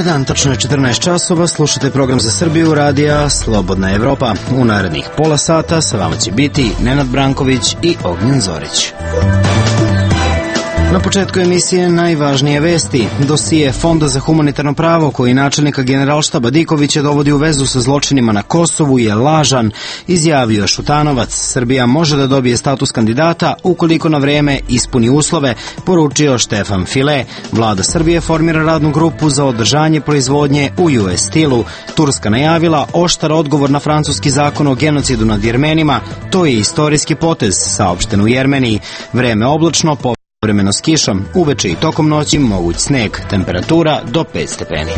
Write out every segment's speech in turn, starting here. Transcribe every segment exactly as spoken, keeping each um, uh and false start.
dan, tačno je četrnaest časova, slušate program za Srbiju, radija Slobodna Evropa. U narednih pola sata sa vama će biti Nenad Branković i Ognjen Zorić. Na početku emisije najvažnije vesti. Dosije Fonda za humanitarno pravo koji načelnika Generalštaba Dikovića dovodi u vezu sa zločinima na Kosovu je lažan, izjavio je Šutanovac. Srbija može da dobije status kandidata ukoliko na vreme ispuni uslove, poručio Štefan File. Vlada Srbije formira radnu grupu za održanje proizvodnje u U S stilu. Turska najavila oštar odgovor na francuski zakon o genocidu nad Jermenima. To je istorijski potez, saopšteno u Jermeniji. Vreme oblačno, po vremeno s kišom, uveče i tokom noći moguć sneg, temperatura do pet stepeni.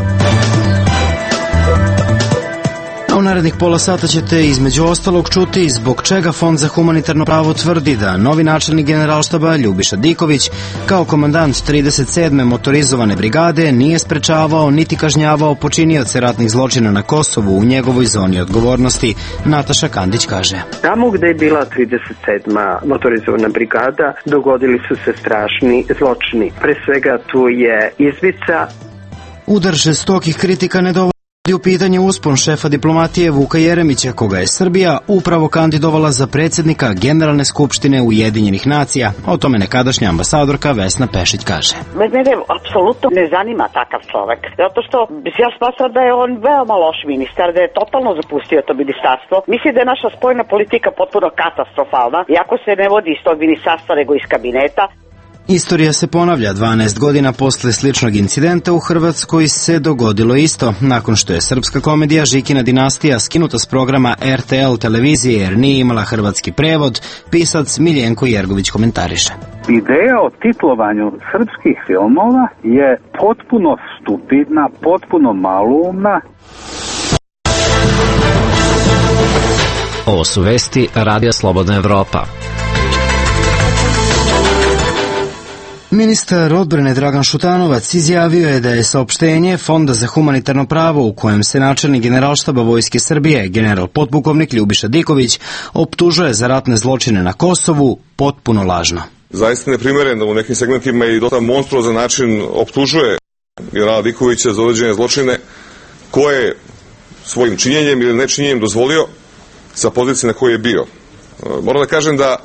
U narednih pola sata ćete između ostalog čuti zbog čega Fond za humanitarno pravo tvrdi da novi načelnik Generalštaba Ljubiša Diković kao komandant trideset sedme motorizovane brigade nije sprečavao niti kažnjavao počinioce ratnih zločina na Kosovu u njegovoj zoni odgovornosti. Nataša Kandić kaže: Tamo gde je bila trideset sedma motorizovana brigada dogodili su se strašni zločini. Pre svega tu je izvica. Udar žestokih kritika ne dovodi u pitanje uspon šefa diplomatije Vuka Jeremića, koga je Srbija upravo kandidovala za predsjednika Generalne skupštine Ujedinjenih nacija. O tome nekadašnja ambasadorka Vesna Pešić kaže: Mene apsolutno ne zanima takav čovek, zato što ja smatram da je on veoma loš ministar, da je totalno zapustio to ministarstvo. Mislim da je naša spoljna politika potpuno katastrofalna, iako se ne vodi iz tog ministarstva nego iz kabineta. Istorija se ponavlja. dvanaest godina posle sličnog incidenta u Hrvatskoj se dogodilo isto. Nakon što je srpska komedija Žikina dinastija skinuta s programa R T L televizije jer nije imala hrvatski prevod, pisac Miljenko Jergović komentariše: Ideja o titlovanju srpskih filmova je potpuno stupidna, potpuno maloumna. Ovo su vesti Radija Slobodna Evropa. Ministar odbrane Dragan Šutanovac izjavio je da je saopštenje Fonda za humanitarno pravo u kojem se načelnik Generalštaba Vojske Srbije, general potpukovnik Ljubiša Diković, optužuje za ratne zločine na Kosovu, potpuno lažno. Zaista neprimereno, u nekim segmentima i dosta monstruozan način optužuje generala Dikovića za određene zločine koje svojim činjenjem ili nečinjenjem dozvolio sa pozicije na kojoj je bio. Moram da kažem da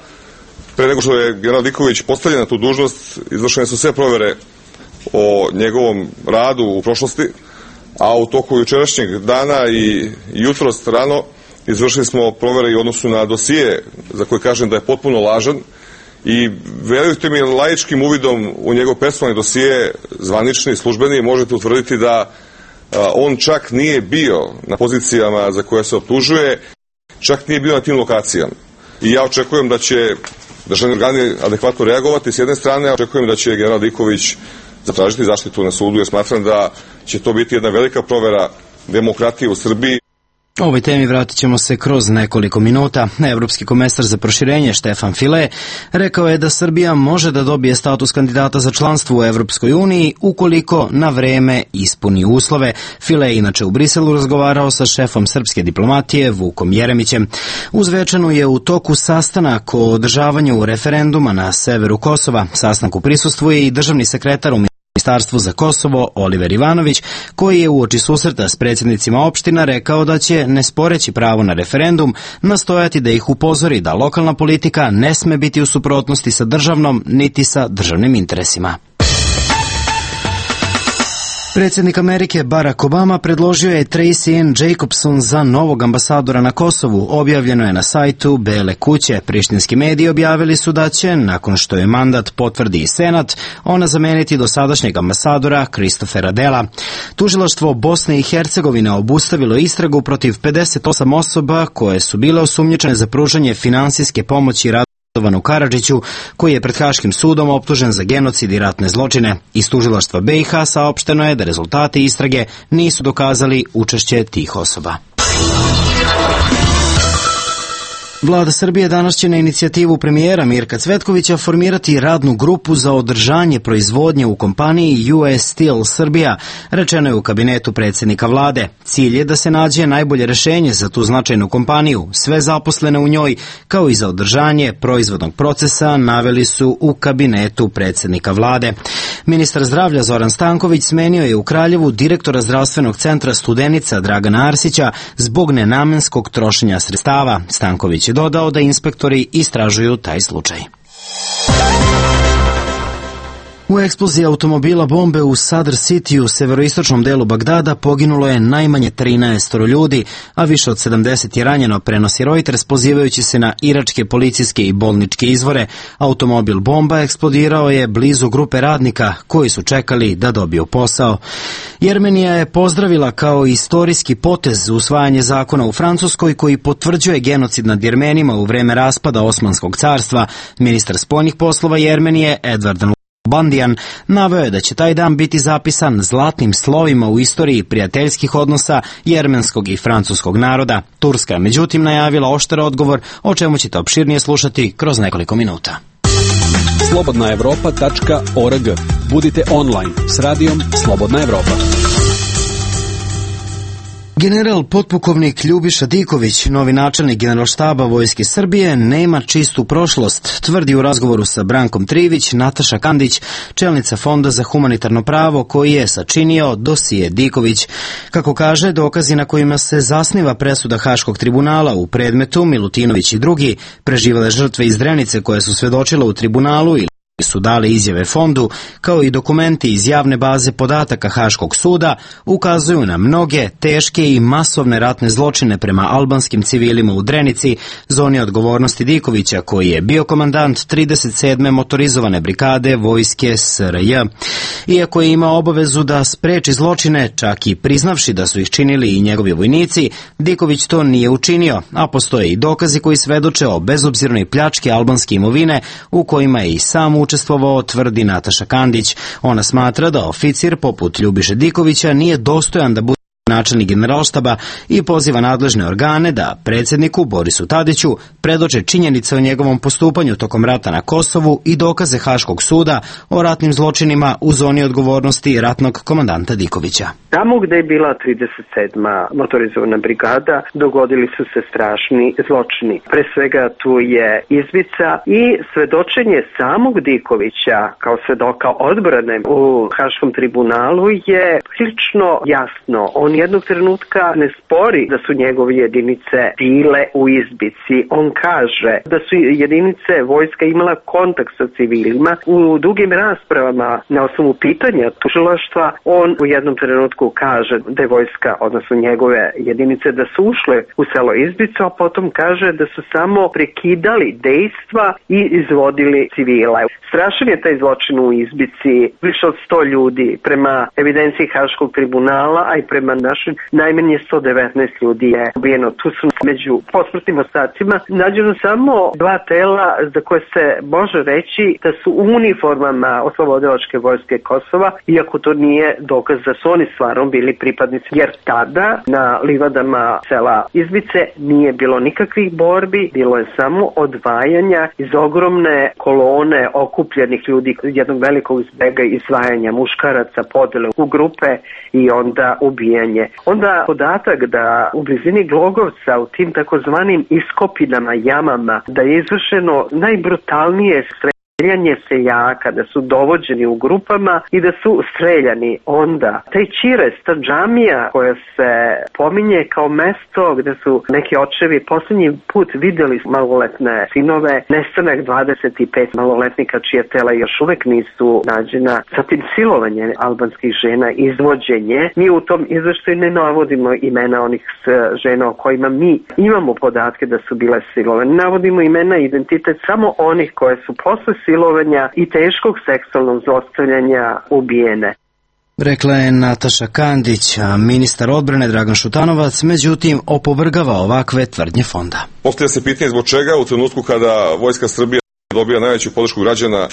pre nego što je general Diković postavljen na tu dužnost, izvršene su sve provere o njegovom radu u prošlosti, a u toku jučerašnjeg dana i jutros rano izvršili smo provere i u odnosu na dosije za koje kažem da je potpuno lažan i verujte mi, laičkim uvidom u njegov personalni dosije, zvanični, službeni, možete utvrditi da on čak nije bio na pozicijama za koje se optužuje, čak nije bio na tim lokacijama. I ja očekujem da će državni organi adekvatno reagovati s jedne strane, a očekujem da će general Diković zatražiti zaštitu na sudu, jer smatram da će to biti jedna velika provera demokratije u Srbiji. O ovoj temi vratit ćemo se kroz nekoliko minuta. Evropski komesar za proširenje Štefan File rekao je da Srbija može da dobije status kandidata za članstvo u Evropskoj uniji ukoliko na vreme ispuni uslove. File je inače u Briselu razgovarao sa šefom srpske diplomatije Vukom Jeremićem. Uz večanu je u toku sastanak o održavanju referenduma na severu Kosova. Sastanku prisustvuje i državni sekretar u Ministarstvu za Kosovo Oliver Ivanović, koji je uoči susreta s predsjednicima opština rekao da će, ne sporeći pravo na referendum, nastojati da ih upozori da lokalna politika ne sme biti u suprotnosti sa državnom niti sa državnim interesima. Predsjednik Amerike Barack Obama predložio je Tracy Ann Jacobson za novog ambasadora na Kosovu. Objavljeno je na sajtu Bele kuće. Prištinski mediji objavili su da će, nakon što je mandat potvrdi i Senat, ona zameniti dosadašnjeg ambasadora Kristofera Dela. Tužilaštvo Bosne i Hercegovine obustavilo istragu protiv pedeset osam osoba koje su bile osumnjičene za pružanje finansijske pomoći Radovanu Karadžiću, koji je pred Haškim sudom optužen za genocid i ratne zločine. Iz tužilaštva B i H saopšteno je da rezultati istrage nisu dokazali učešće tih osoba. Vlada Srbije danas će na inicijativu premijera Mirka Cvetkovića formirati radnu grupu za održanje proizvodnje u kompaniji U S Steel Srbija, rečeno je u kabinetu predsjednika vlade. Cilj je da se nađe najbolje rešenje za tu značajnu kompaniju, sve zaposlene u njoj, kao i za održanje proizvodnog procesa, naveli su u kabinetu predsjednika vlade. Ministar zdravlja Zoran Stanković smenio je u Kraljevu direktora zdravstvenog centra Studenica Dragana Arsića zbog nenamenskog trošenja sredstava. Stanković je dodao da inspektori istražuju taj slučaj. U eksploziji automobila bombe u Sadr City u severoistočnom delu Bagdada poginulo je najmanje trinaest ljudi, a više od sedamdeset je ranjeno, prenosi Reuters pozivajući se na iračke policijske i bolničke izvore. Automobil bomba eksplodirao je blizu grupe radnika koji su čekali da dobiju posao. Jermenija je pozdravila kao istorijski potez usvajanje zakona u Francuskoj koji potvrđuje genocid nad Jermenima u vreme raspada Osmanskog carstva. Ministar spoljnih poslova Jermenije Edward Bandijan naveo je da će taj dan biti zapisan zlatnim slovima u istoriji prijateljskih odnosa jermenskog i francuskog naroda. Turska je međutim najavila oštar odgovor, o čemu ćete opširnije slušati kroz nekoliko minuta. slobodna evropa tačka org. Budite online s radijom Slobodna Evropa. General potpukovnik Ljubiša Diković, novi načelnik Generalštaba Vojske Srbije, nema čistu prošlost, tvrdi u razgovoru sa Brankom Trivić Nataša Kandić, čelnica Fonda za humanitarno pravo koji je sačinio dosije Diković. Kako kaže, dokazi na kojima se zasniva presuda Haškog tribunala u predmetu Milutinović i drugi, preživele žrtve iz Drenice koje su svedočile u tribunalu ili su dale izjave fondu, kao i dokumenti iz javne baze podataka Haškog suda, ukazuju na mnoge teške i masovne ratne zločine prema albanskim civilima u Drenici, zoni odgovornosti Dikovića, koji je bio komandant trideset sedme motorizovane brigade Vojske S R J. Iako je imao obavezu da spreči zločine, čak i priznavši da su ih činili i njegovi vojnici, Diković to nije učinio, a postoje i dokazi koji svedoče o bezobzirnoj pljački albanske imovine u kojima je i sam učestvovao, tvrdi Nataša Kandić. Ona smatra da oficir poput Ljubiše Dikovića nije dostojan da bude načelnik Generalštaba i poziva nadležne organe da predsjedniku Borisu Tadiću predoče činjenice o njegovom postupanju tokom rata na Kosovu i dokaze Haškog suda o ratnim zločinima u zoni odgovornosti ratnog komandanta Dikovića. Tamo gde je bila trideset sedma motorizovana brigada dogodili su se strašni zločini. Pre svega tu je izvica i svedočenje samog Dikovića kao svedoka odbrane u Haškom tribunalu je prilično jasno. On jednog trenutka ne spori da su njegove jedinice bile u izbici. On kaže da su jedinice vojska imala kontakt sa civilima. U dugim raspravama na osnovu pitanja tužilaštva on u jednom trenutku kaže da je vojska, odnosno njegove jedinice, da su ušle u selo Izbicu, a potom kaže da su samo prekidali dejstva i izvodili civila. Strašan je taj zločin u Izbici, više od sto ljudi, prema evidenciji Haškog tribunala, a i prema našim najmanje sto devetnaest ljudi je ubijeno. Tu su među posmrtnim ostacima nađeno samo dva tela za koje se može reći da su u uniformama Oslobodilačke vojske Kosova, iako to nije dokaz da su oni stvarno bili pripadnici, jer tada na livadama sela Izbice nije bilo nikakvih borbi, bilo je samo odvajanja iz ogromne kolone okupljenih ljudi, jednog velikog zbega izdvajanja muškaraca, podele u grupe i onda ubijanje. Onda podatak da u blizini Glogovca, u tim takozvanim iskopinama, jamama, da je izvršeno najbrutalnije streljanje seljaka, da su dovođeni u grupama i da su streljani. Onda, taj Čires, ta džamija koja se pominje kao mesto gde su neki očevi posljednji put videli maloletne sinove, nestanak dvadeset pet maloletnika čija tela još uvek nisu nađena, zatim silovanje albanskih žena, izvođenje. Mi u tom izveštaju ne navodimo imena onih žena o kojima mi imamo podatke da su bile silovane. Navodimo imena i identitet samo onih koje su posle silovanja i teškog seksualnog zlostavljanja ubijene. Rekla je Nataša Kandić, a ministar odbrane Dragan Šutanovac međutim opovrgava ovakve tvrdnje fonda. Postavlja se pitanje zbog čega u trenutku kada Vojska Srbije dobija najveću podršku građana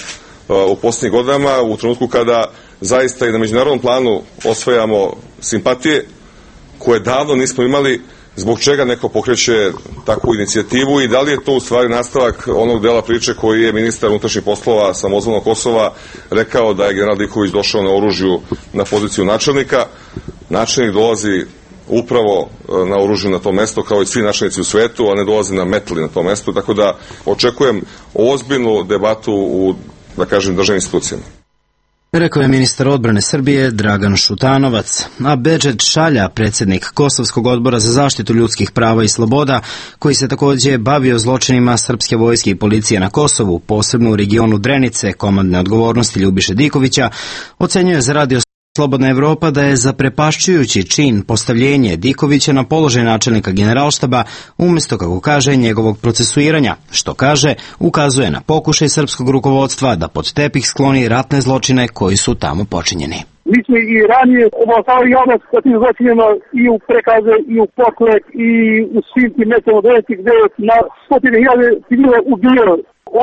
u posljednjih godinama, u trenutku kada zaista i na međunarodnom planu osvajamo simpatije koje davno nismo imali zbog čega neko pokreće takvu inicijativu i da li je to u stvari nastavak onog dela priče koji je ministar unutrašnjih poslova samozvanog Kosova rekao da je general Diković došao na oružju na poziciju načelnika. Načelnik dolazi upravo na oružju na to mesto kao i svi načelnici u svetu, a ne dolazi na metli na to mesto, tako da očekujem ozbiljnu debatu u, da kažem, državnim institucijama. Rekao je ministar odbrane Srbije Dragan Šutanovac, a Bedžet Šalja, predsjednik Kosovskog odbora za zaštitu ljudskih prava i sloboda, koji se također bavio zločinima srpske vojske i policije na Kosovu, posebno u regionu Drenice, komandne odgovornosti Ljubiše Dikovića, ocenjuje za radio Slobodna Evropa da je zaprepašćujući čin postavljenje Dikovića na položaj načelnika generalštaba umjesto, kako kaže, njegovog procesuiranja, što kaže, ukazuje na pokušaj srpskog rukovodstva da pod tepih skloni ratne zločine koji su tamo počinjeni. Mi smo i ranije obavljali javnost o tim zločinima i u prekaze, i u poklek, i u svim tim mestima gdje je na stotine hiljade civila ubijeno.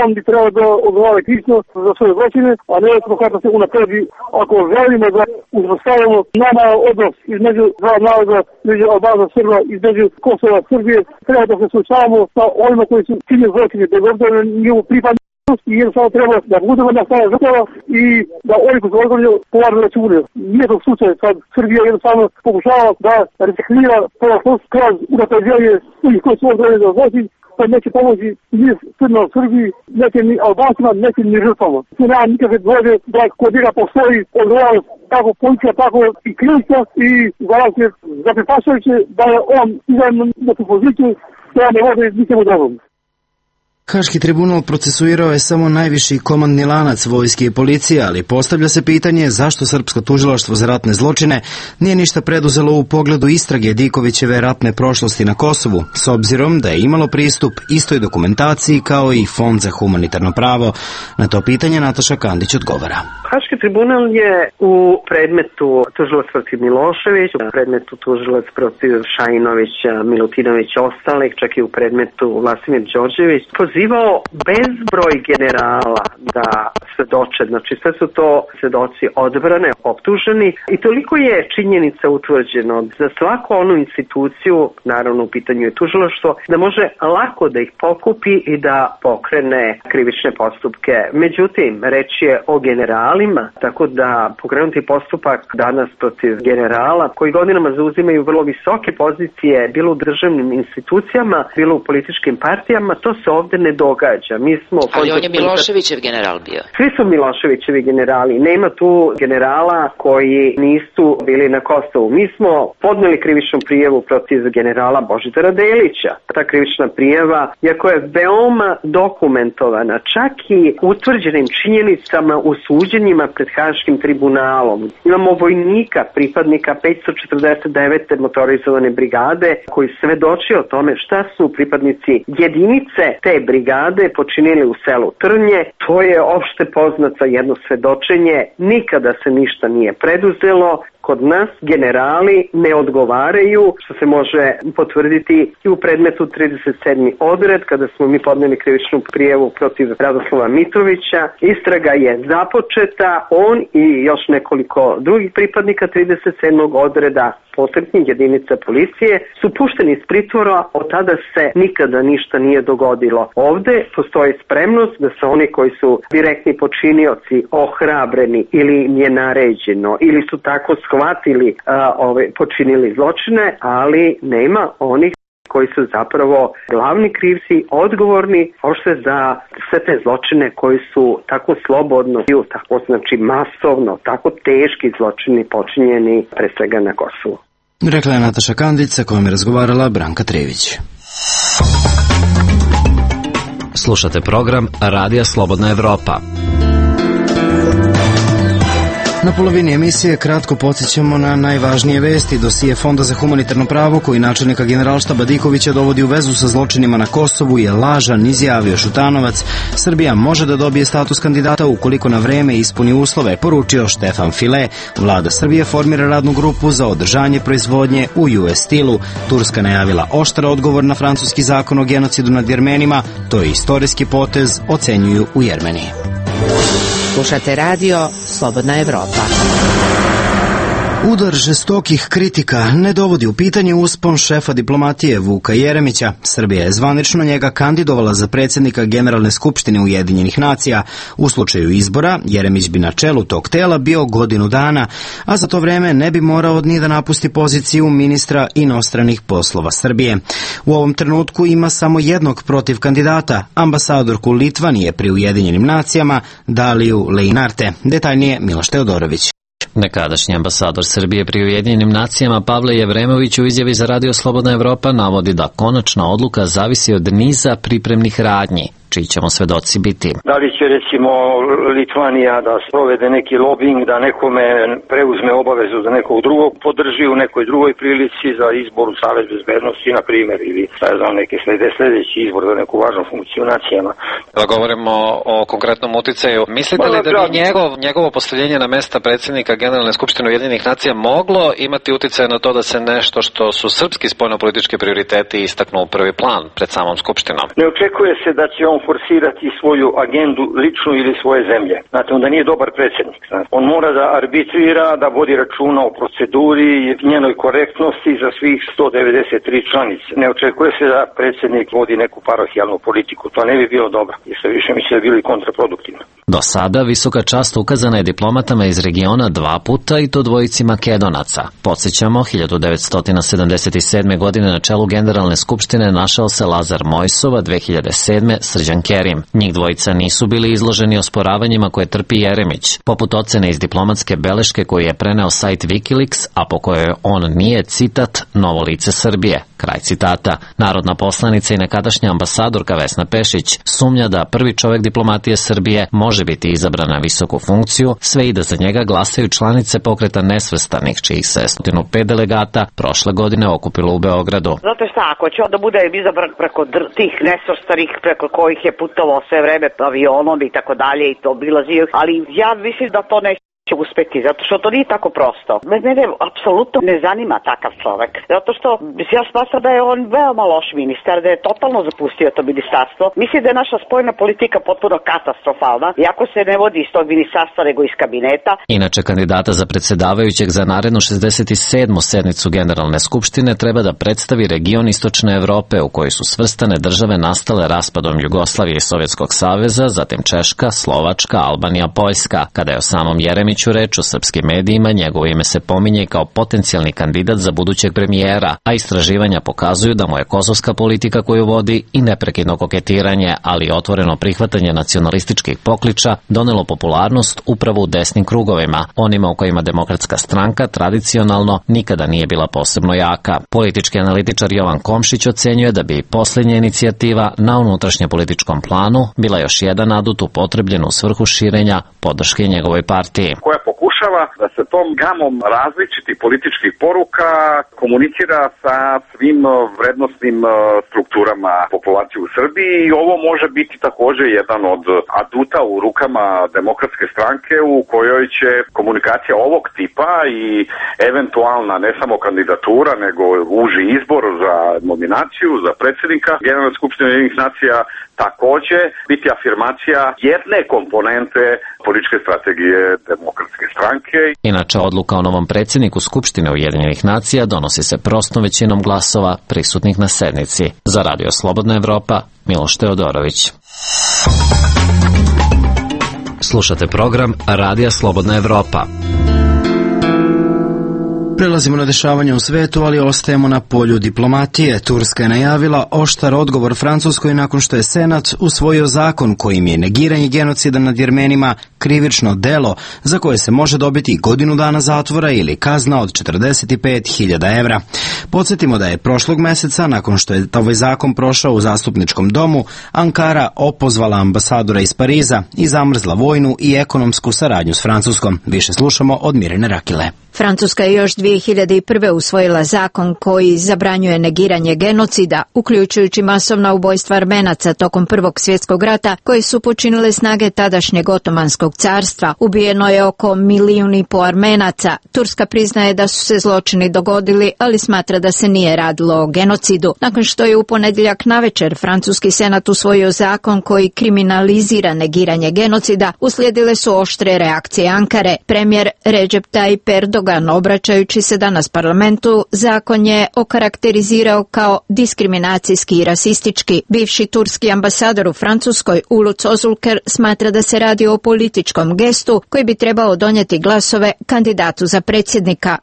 On bi trebao da odgovara krivično za svoje zločine, a ne da se unapredi. Ako želimo da uspostavimo normalan odnos između dva naroda, između Albanaca, Srba, između Kosova, Srbije, treba da se suočavamo sa onima koji su činili zločine, bez obzira na njihovu pripadnost, i jednostavno treba da budemo na strane žrtava i da oni koji su odgovorili polažu račune. Nije to slučaj kad Srbija jednostavno pokušava da reciklira prošlost kroz unapređenje svih koji su odgovorili za zločin, pa neće pomoći ni Srbima u Srbiji, neće ni Albancima, neće ni žrtvama. Tu nema nikakve dvojbe da kod njega postoji odgovornost tako policija, tako i krivica i garancije zaprepašujuće da je on izdan na tu poziciju, koja ne vode ničemu drugom. Haški tribunal procesuirao je samo najviši komandni lanac vojske i policije, ali postavlja se pitanje zašto srpsko tužilaštvo za ratne zločine nije ništa preduzelo u pogledu istrage Dikovićeve ratne prošlosti na Kosovu, s obzirom da je imalo pristup istoj dokumentaciji kao i Fond za humanitarno pravo. Na to pitanje Nataša Kandić odgovara. Haški tribunal je u predmetu tužilac protiv Milošević, u predmetu tužilac protiv Šajinovića, Milutinovića, ostalih, čak i u predmetu Vlasimir Đorđević, pozivao bezbroj generala da svedoče. Znači sve su to svedoci odbrane, optuženi, i toliko je činjenica utvrđeno za svaku onu instituciju, naravno u pitanju je tužilaštvo, da može lako da ih pokupi i da pokrene krivične postupke. Međutim, reč je o generalima, tako da pokrenuti postupak danas protiv generala koji godinama zauzimaju vrlo visoke pozicije, bilo u državnim institucijama, bilo u političkim partijama, to se ovde ne događa. Mi smo Ali on je Miloševićev general bio. Svi su Miloševićevi generali. Nema tu generala koji nisu bili na Kosovu. Mi smo podneli krivičnu prijavu protiv generala Božidara Delića. Ta krivična prijava, iako je veoma dokumentovana, čak i utvrđenim činjenicama u suđenjima pred Haškim tribunalom. Imamo vojnika, pripadnika petsto četrdeset devete motorizovane brigade, koji svedoči o tome šta su pripadnici jedinice te brigade počinili u selu Trnje. To je opšte poznato jedno svedočenje. Nikada se ništa nije preduzelo. Kod nas generali ne odgovaraju, što se može potvrditi i u predmetu trideset sedmi odred, kada smo mi podneli krivičnu prijavu protiv Radoslava Mitrovića. Istraga je započeta, on i još nekoliko drugih pripadnika trideset sedmog odreda posebnih jedinica policije su pušteni iz pritvora, od tada se nikada ništa nije dogodilo. Ovde postoji spremnost da se oni koji su direktni počinioci ohrabreni ili im je naređeno ili su tako shvatili a, ove, počinili zločine, ali nema onih koji su zapravo glavni krivci, odgovorni ošte za sve te zločine koji su tako slobodno, tako znači masovno, tako teški zločini počinjeni pre svega na Kosovu. Rekla je Nataša Kandić, sa kojom je razgovarala Branka Trević. Slušate program Radija Slobodna Evropa. Na polovini emisije kratko podsjećamo na najvažnije vesti. Dosije Fonda za humanitarno pravo koji načelnika generalštaba Dikovića dovodi u vezu sa zločinima na Kosovu je lažan, izjavio Šutanovac. Srbija može da dobije status kandidata ukoliko na vreme ispuni uslove, poručio Štefan File. Vlada Srbije formira radnu grupu za održanje proizvodnje u U S stilu. Turska najavila oštar odgovor na francuski zakon o genocidu nad Jermenima. To je istorijski potez, ocenjuju u Jermeniji. Slušate radio Slobodna Evropa. Udar žestokih kritika ne dovodi u pitanje uspon šefa diplomatije Vuka Jeremića. Srbija je zvanično njega kandidovala za predsjednika Generalne skupštine Ujedinjenih nacija. U slučaju izbora, Jeremić bi na čelu tog tela bio godinu dana, a za to vreme ne bi morao ni da napusti poziciju ministra inostranih poslova Srbije. U ovom trenutku ima samo jednog protiv kandidata, ambasadorku Litvanije pri Ujedinjenim nacijama, Daliju Leinarte. Detaljnije Miloš Teodorović. Nekadašnji ambasador Srbije pri Ujedinjenim nacijama Pavle Jevremović u izjavi za Radio Slobodna Evropa navodi da konačna odluka zavisi od niza pripremnih radnji, čiji ćemo svedoci biti. Da li će recimo Litvanija da sprovede neki lobing, da nekome preuzme obavezu da nekog drugog podrži u nekoj drugoj prilici za izbor u Savet bezbednosti, na primjer, ili šta znam, neke slede, sledeći izbor za neku važnu funkciju nacijama. Da govorimo o konkretnom uticaju, mislite li da bi njegov, njegovo postavljenje na mesta predsjednika Generalne skupštine Ujedinjenih nacija moglo imati uticaj na to da se nešto što su srpski spoljnopolitički prioriteti istaknu u prvi plan pred samom skupštinom? Ne očekuje se da će on forsirati svoju agendu ličnu ili svoje zemlje. Znate, onda nije dobar predsjednik. Znate. On mora da arbitrira, da vodi računa o proceduri i njenoj korektnosti za svih sto devedeset tri članice. Ne očekuje se da predsjednik vodi neku parohijalnu politiku. To ne bi bilo dobro. I sve više mi se da bilo i kontraproduktivno. Do sada visoka čast ukazana je diplomatama iz regiona dva puta i to dvojici Makedonaca. Podsjećamo, hiljadu devetsto sedamdeset sedme. godine na čelu Generalne skupštine našao se Lazar Mojsov, a dve hiljade sedme. Srđan Kerim. Njih dvojica nisu bili izloženi osporavanjima koje trpi Jeremić, poput ocene iz diplomatske beleške koju je preneo sajt Wikileaks, a po kojoj on nije, citat, novo lice Srbije. Kraj citata. Narodna poslanica i nekadašnja ambasadorka Vesna Pešić sumnja da prvi čovjek diplomatije Srbije može biti izabran na visoku funkciju, sve i da za njega glasaju članice pokreta nesvrstanih, čijih se sto pet delegata prošle godine okupilo u Beogradu. Znate šta, ako će onda bude izabran preko dr- tih nesvrstanih, preko kojih je putovao sve vreme avionom i tako dalje i to obilazio, ali ja mislim da to neće će uspeti, zato što to nije tako prosto. Mene apsolutno ne zanima takav čovek, zato što ja smatram da je on veoma loš ministar, da je totalno zapustio to ministarstvo. Mislim da je naša spoljna politika potpuno katastrofalna, iako se ne vodi iz tog ministarstva, nego iz kabineta. Inače, kandidata za predsjedavajućeg za narednu šezdeset sedmu sednicu Generalne skupštine treba da predstavi region Istočne Evrope u kojoj su svrstane države nastale raspadom Jugoslavije i Sovjetskog saveza, zatim Češka, Slovačka, Albanija, Poljska. Kada je o samom Jeremiću reč u srpskim medijima, njegovo ime se pominje kao potencijalni kandidat za budućeg premijera, a istraživanja pokazuju da mu je kosovska politika koju vodi i neprekidno koketiranje, ali i otvoreno prihvatanje nacionalističkih pokliča donelo popularnost upravo u desnim krugovima, onima u kojima Demokratska stranka tradicionalno nikada nije bila posebno jaka. Politički analitičar Jovan Komšić ocenjuje da bi posljednja inicijativa na unutrašnjem političkom planu bila još jedan adut upotrebljen u svrhu širenja podrške njegovoj partiji, koja pokušava da se tom gamom različitih političkih poruka komunicira sa svim vrednostnim strukturama populacije u Srbiji i ovo može biti također jedan od aduta u rukama Demokratske stranke u kojoj će komunikacija ovog tipa i eventualna ne samo kandidatura nego uži izbor za nominaciju za predsjednika Generalne skupštine Ujedinjenih nacija također biti afirmacija jedne komponente političke strategije Demokratske stranke. Inače, odluka o novom predsjedniku Skupštine Ujedinjenih nacija donosi se prostom većinom glasova prisutnih na sednici. Za Radio Slobodna Evropa, Miloš Teodorović. Slušate program Radija Slobodna Evropa. Prelazimo na dešavanje u svetu, ali ostajemo na polju diplomatije. Turska je najavila oštar odgovor Francuskoj nakon što je Senat usvojio zakon kojim je negiranje genocida nad Jermenima krivično delo za koje se može dobiti godinu dana zatvora ili kazna od četrdeset pet hiljada evra. Podsjetimo da je prošlog meseca, nakon što je ovaj zakon prošao u zastupničkom domu, Ankara opozvala ambasadora iz Pariza i zamrzla vojnu i ekonomsku saradnju s Francuskom. Više slušamo od Mirjane Rakile. Francuska je još dvije hiljade prve. usvojila zakon koji zabranjuje negiranje genocida, uključujući masovna ubojstva Armenaca tokom Prvog svjetskog rata koje su počinile snage tadašnjeg Otomanskog carstva. Ubijeno je oko milijun i po Armenaca. Turska priznaje da su se zločini dogodili, ali smatra da se nije radilo o genocidu. Nakon što je u ponedjeljak navečer Francuski senat usvojio zakon koji kriminalizira negiranje genocida, uslijedile su oštre reakcije Ankare. Premijer Recep Tayyip Erdogan Erdogan, obraćajući se danas parlamentu, zakon je okarakterizirao kao diskriminacijski i rasistički. Bivši turski ambasador u Francuskoj Uluç Özülker smatra da se radi o političkom gestu koji bi trebao donijeti glasove kandidatu za predsjednika.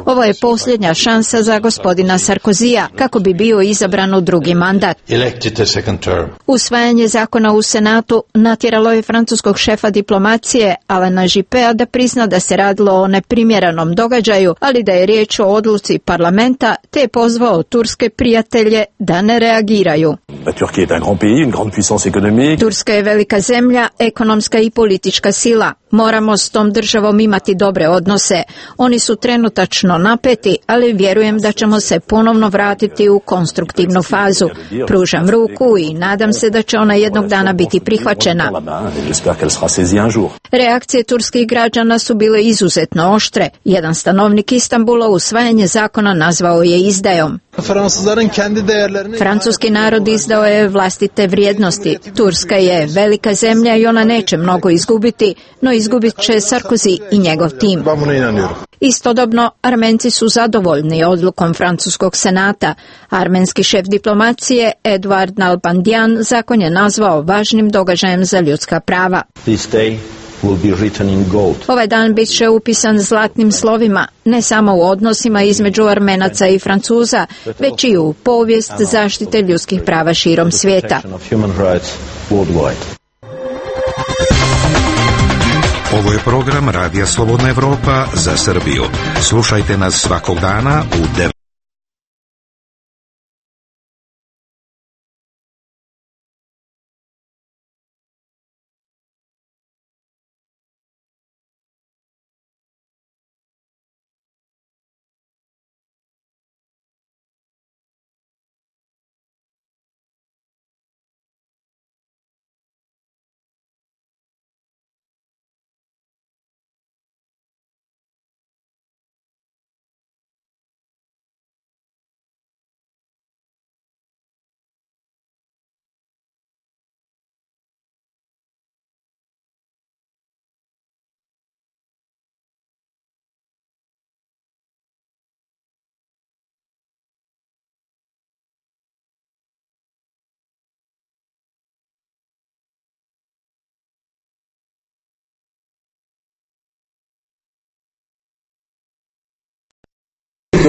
Ovo je posljednja šansa za gospodina Sarkozija kako bi bio izabran u drugi mandat. Usvajanje zakona u Senatu natjeralo je francuskog šefa diplomacije Alana Juppéa da prizna da se radilo o neprimjerenom događaju, ali da je riječ o odluci parlamenta, te je pozvao turske prijatelje da ne reagiraju. Turska je velika zemlja, ekonomska i politička sila. Moramo s tom državom imati dobre odnose. Oni su trenutačno napeti, ali vjerujem da ćemo se ponovno vratiti u konstruktivnu fazu. Pružam ruku i nadam se da će ona jednog dana biti prihvaćena. Reakcije turskih građana su bile izuzetno oštre. Jedan stanovnik Istanbula usvajanje zakona nazvao je izdajom. Francuski narod izdao je vlastite vrijednosti. Turska je velika zemlja i ona neće mnogo izgubiti, no izgubit će Sarkozy i njegov tim. Istodobno, Armenci su zadovoljni odlukom francuskog senata. Armenski šef diplomacije Edouard Nalbandian zakon je nazvao važnim događajem za ljudska prava. Ovaj dan bit će upisan zlatnim slovima, ne samo u odnosima između Armenaca i Francuza, već i u povijest zaštite ljudskih prava širom svijeta. Ovo je program Radija Slobodna Evropa za Srbiju. Slušajte nas svakog dana u devet.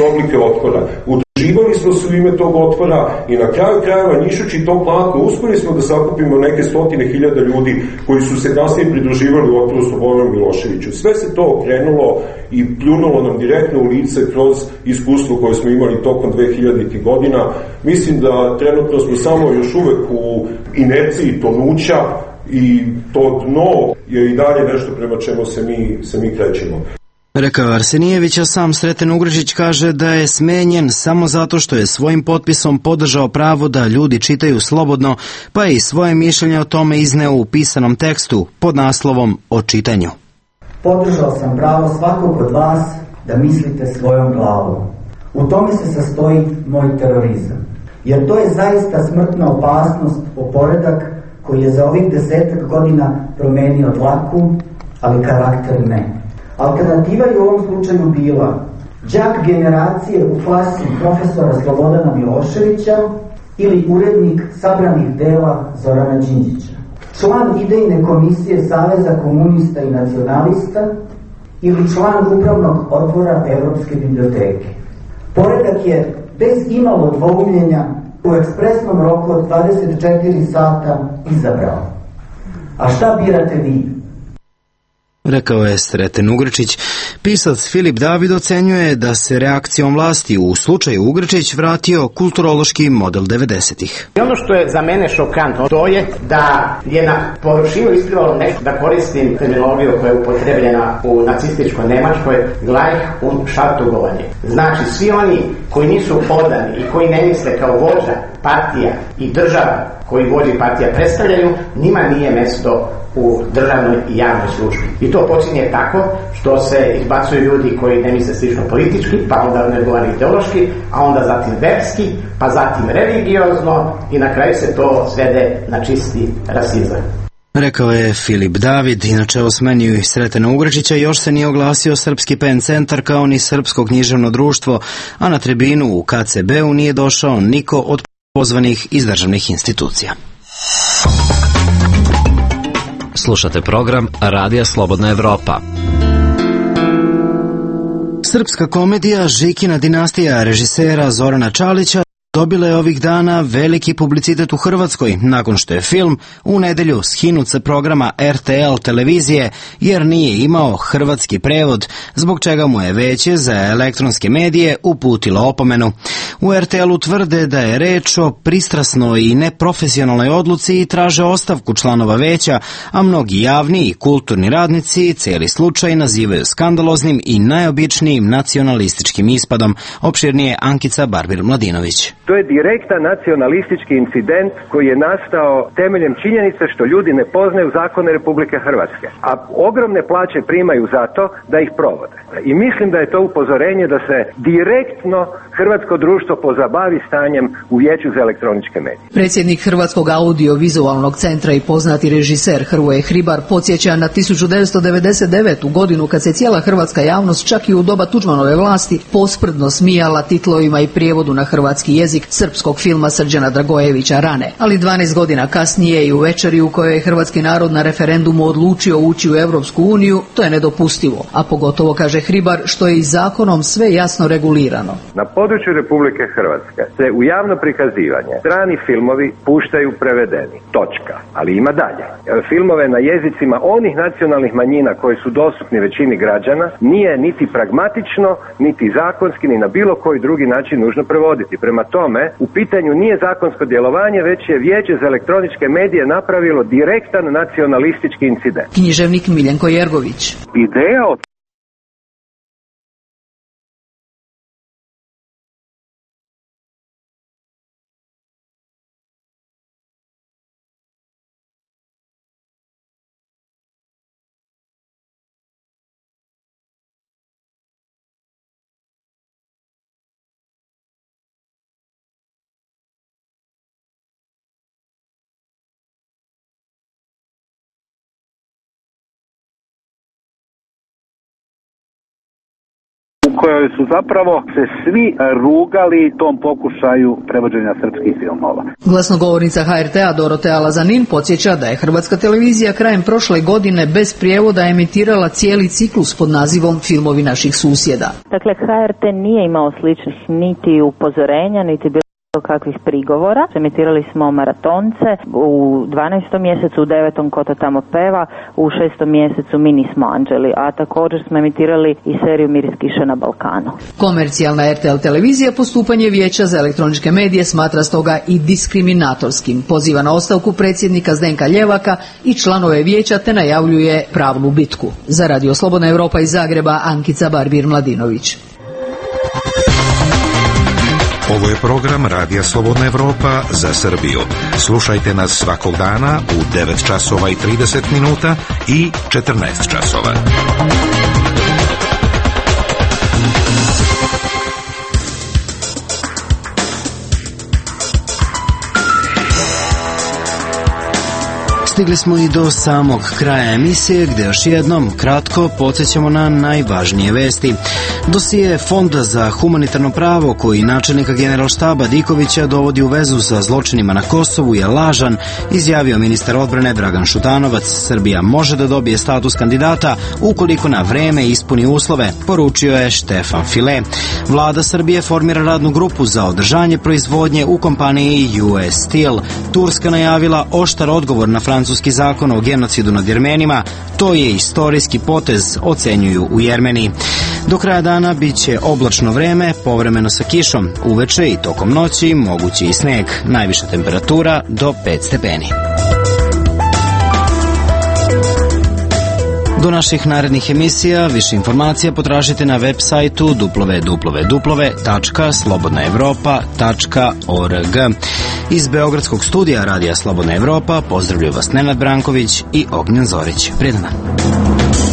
oblike otpora. Udruživali smo se u ime tog otpora i na kraju krajeva njišući to plako uspeli smo da sakupimo neke stotine hiljada ljudi koji su se kasnije pridruživali u otporu Slobodanu Miloševiću. Sve se to okrenulo i pljunulo nam direktno u lice kroz iskustvo koje smo imali tokom dve hiljaditih godina. Mislim da trenutno smo samo još uvek u inerciji tonuća i to dno je i dalje nešto prema čemu se mi, se mi krećemo. Rekao Arsenijević, a sam Sreten Ugrečić kaže da je smenjen samo zato što je svojim potpisom podržao pravo da ljudi čitaju slobodno, pa je i svoje mišljenje o tome izneo u pisanom tekstu pod naslovom O čitanju. Podržao sam pravo svakog od vas da mislite svojom glavom. U tome se sastoji moj terorizam. Jer to je zaista smrtna opasnost po poredak koji je za ovih desetak godina promenio dlaku, ali karakter ne. Alternativa je u ovom slučaju bila đak generacije u klasi profesora Slobodana Miloševića ili urednik sabranih dela Zorana Đinđića, član idejne komisije Saveza komunista i nacionalista ili član upravnog odbora Evropske biblioteke. Poredak je bez imalo dvoumljenja u ekspresnom roku od dvadeset četiri sata izabrao. A šta birate vi? Rekao je Sreten Ugrečić. Pisac Filip David ocenjuje da se reakcijom vlasti u slučaju Ugrečić vratio kulturološki model devedesetih. I ono što je za mene šokantno, to je da je na površinu isplivalo nešto, da koristim terminologiju koja je upotrebljena u nacističkoj Nemačkoj, Gleich und Schartugovanje. Znači, svi oni koji nisu odani i koji ne misle kao vođa, partija i država koji vođa i partija predstavljaju, njima nije mesto u državnoj i javnoj službi. I to počinje tako što se izbacuju ljudi koji ne misle slično politički, pa onda ne govori ideološki, a onda zatim verski, pa zatim religiozno i na kraju se to svede na čisti rasizam. Rekao je Filip David. Inače o smeni Sretena Ugrečića još se nije oglasio Srpski Pen centar kao ni Srpsko književno društvo, a na tribinu u K C B-u nije došao niko od pozvanih iz državnih institucija. Slušate program Radija Slobodna Evropa. Srpska komedija Žikina dinastija režisera Zorana Čalića dobila je ovih dana veliki publicitet u Hrvatskoj nakon što je film u nedelju skinut sa programa R T L televizije jer nije imao hrvatski prevod, zbog čega mu je Veće za elektronske medije uputilo opomenu. U R T L-u tvrde da je reč o pristrasnoj i neprofesionalnoj odluci i traže ostavku članova Veća, a mnogi javni i kulturni radnici cijeli slučaj nazivaju skandaloznim i najobičnijim nacionalističkim ispadom. Opširnije Ankica Barbir-Mladinović. To je direktan nacionalistički incident koji je nastao temeljem činjenice što ljudi ne poznaju zakone Republike Hrvatske, a ogromne plaće primaju zato da ih provode. I mislim da je to upozorenje da se direktno hrvatsko društvo pozabavi stanjem u Vijeću za elektroničke medije. Predsjednik Hrvatskog audio-vizualnog centra i poznati režiser Hrvoje Hribar podsjeća na tisuću devetsto devedeset devetu godinu kad se cijela hrvatska javnost čak i u doba Tuđmanove vlasti posprdno smijala titlovima i prijevodu na hrvatski jezik srpskog filma Srđana Dragojevića Rane. Ali dvanaest godina kasnije i u večeri u kojoj je hrvatski narod na referendumu odlučio ući u Europsku uniju, to je nedopustivo, a pogotovo, kaže Hribar, što je i zakonom sve jasno regulirano. Na području Republike Hrvatske se u javno prikazivanje strani filmovi puštaju prevedeni. Točka. Ali ima dalje. Filmove na jezicima onih nacionalnih manjina koji su dostupni većini građana nije niti pragmatično, niti zakonski, ni na bilo koji drugi način nužno prevoditi. Prema tome, u pitanju nije zakonsko djelovanje, već je Vijeće za elektroničke medije napravilo direktan nacionalistički incident. Književnik Miljenko Jergović. Ideja od u kojoj su zapravo se svi rugali tom pokušaju prevođenja srpskih filmova. Glasnogovornica H R T-a Dorotea Lazanin podsjeća da je Hrvatska televizija krajem prošle godine bez prijevoda emitirala cijeli ciklus pod nazivom Filmovi naših susjeda. Dakle, H R T nije imao sličnih niti upozorenja, niti bilo kakvih prigovora. Emitirali smo maratonce u dvanaestom mjesecu, u devetom Ko to tamo peva, u šestom mjesecu Mi nismo anđeli, a također smo emitirali i seriju Miris kiše na Balkanu. Komercijalna R T L televizija postupanje Vijeća za elektroničke medije smatra stoga i diskriminatorskim. Poziva na ostavku predsjednika Zdenka Ljevaka i članove vijeća te najavljuje pravnu bitku. Za Radio Slobodna Evropa iz Zagreba, Ankica Barbir-Mladinović. Ovo je program Radija Slobodna Evropa za Srbiju. Slušajte nas svakog dana u devet časova i trideset minuta i četrnaest časova. Stigli smo i do samog kraja emisije gdje još jednom kratko podsjećamo na najvažnije vesti. Dosije Fonda za humanitarno pravo koji načelnika generalštaba Dikovića dovodi u vezu sa zločinima na Kosovu je lažan, izjavio ministar odbrane Dragan Šutanovac. Srbija može da dobije status kandidata ukoliko na vreme ispuni uslove, poručio je Štefan File. Vlada Srbije formira radnu grupu za održanje proizvodnje u kompaniji U S Steel. Turska najavila oštar odgovor na francuski zakon o genocidu nad Jermenima. To je istorijski potez, ocenjuju u Jermeniji. Do kraja dana bit će oblačno vreme, povremeno sa kišom. Uveče i tokom noći mogući i sneg. Najviša temperatura do pet stepeni. Do naših narednih emisija više informacija potražite na web sajtu w w w tačka slobodna evropa tačka org. Iz Beogradskog studija Radija Slobodna Evropa pozdravljaju vas Nenad Branković i Ognjen Zorić. Prijedan dan.